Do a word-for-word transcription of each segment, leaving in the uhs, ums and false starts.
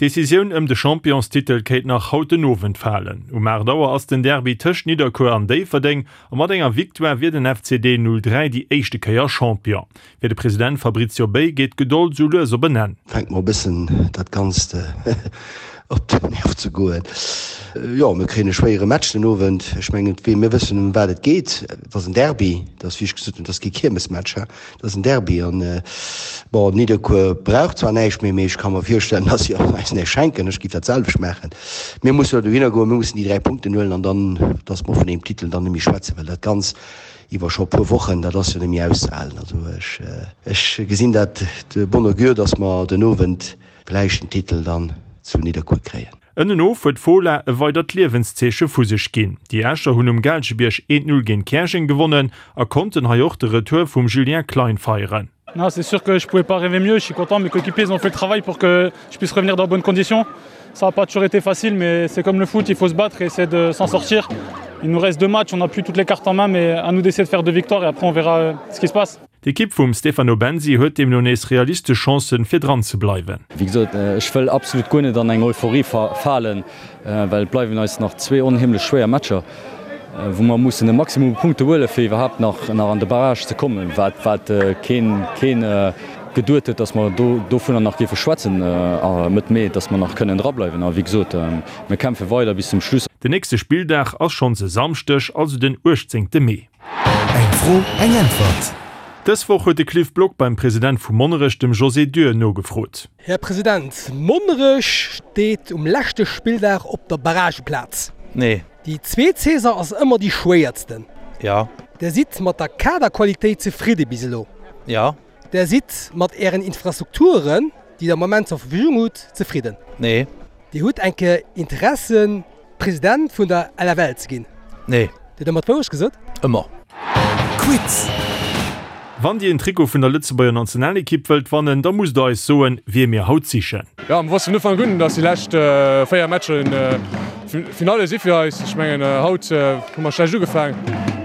D'Decisioun ëm de Championstitel kéint nach haut den Owend falen. Um aacht Auer ass den Derby tëscht Nidderkuer an Déifferdeng a mat enger Victoire wier den F C D null dräi déi éischte Kéier Champion. Fir de President Fabrizio Bei geet d'Gedold sou lues op en Enn. Fänkt mer e bëssen dat Ganzt op den Nerv ze goen. Jo, mir kréien e schwéiere Match den Owend. Ech mengen, mir wëssen ëm wat et geet. Et ass en Derby, dat ass wéi ech gesot hunn, dat ass kee Kiermesmatch, dat ass en Derby. An bon, Nidderkuer brauch zwar näischt méi, mee ech ka mer virstellen, datt si och eis näischt schenken. Ech géif dat selwecht maachen. Mir musse elo dohinner goen, mir mussen déi dräi Punkten huelen an dann, datt mer vun engem Titel dann net méi schwätzen, well dat Ganz iwwer scho e puer Wochen, dat ass jo net méi auszehalen. Also ech, ech gesinn dat de bon augure, datt mer den Owend vläicht den Titel dann zu Nidderkuer kréien. Ënnenof huet d'Fola e weidert Liewenszeeche vu sech ginn. Déi Escher hunn um Gaalgebierg eent Null géint Käerjeng gewonnen a konnten hei och de Retour vum Julien Klein feieren. Non, c'est sûr que je pouvais pas rêver mieux. Je suis content, mes coéquipiers ils ont fait le travail pour que je puisse revenir dans de bonnes conditions. Ça a pas toujours été facile, mais c'est comme le foot, il faut se battre et essayer de s'en sortir. Il nous reste deux matchs, on n'a plus toutes les cartes en main, mais à nous d'essayer de faire deux victoires et après on verra ce qui se passe. D'Ekipp vum Stefano Bensi huet deemno nees realistesch Chancen, fir dran ze bleiwen. Wéi gesot, ech wëll absolut guer net an eng Euphorie falen, well et bleiwen eis nach zwee onheemlech schwéier Matcher, wou mer mussen e Maximum u Punkte huelen, fir iwwerhaapt nach an de Barrage ze kommen, wat wat keen keen geduet huet, datt mer do dovunner nach géife schwätzen Mëtt Mee, datt mer nach kënnen drableiwen. A wéi gesot, mir kämpfe weider bis zum Schluss. Den nächste Spilldag ass schonns e Samschdeg, also den uechtzéngte Mee. Eng Fro, eng Äntwert. Dës Woch huet de Cliff Block beim President vu Monnerech, dem José Dürr, nogefrot. Här President, Monnerech steet um leschte Spilldag op der Barrageplaz. Nee. Déi zweet Saison ass ëmmer déi schwéiersten. Ja. Der sidd mat der Kaderqualitéit zefridde bis elo? Ja. Der sidd mat Ären Infrastrukturen, déi der am Moment zur Verfügung hutt, zefridden? Nee. Dir hutt eng Kéier Interessen, President vun der L F L ze ginn? Nee. Dir hutt ëmmer d'Wourecht gesot? Ëmmer. Quiz. Wann Dir en Trikot vun der Lëtzebuerger Nationalekipp wëllt wannen, da musst der eis soen, wie mir haut sichen. Ja, mir wossten vun Ufank un, dass déi lescht véier Matcher Finale si fir eis. Ech mengen, haut hu mer schlecht ugefaangen.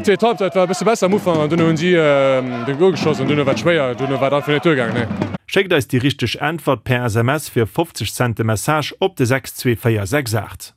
D'zweet Halbzeit war e bësse besser am Ufank an dunn hunn si de Gol geschoss an dunn war et schwéier. Dunn war et einfach net duergaangen, nee. Schéckt eis déi richteg Äntwert per S M S fir fofzeg Cent de Message op de sechs zwee véier sechs aacht.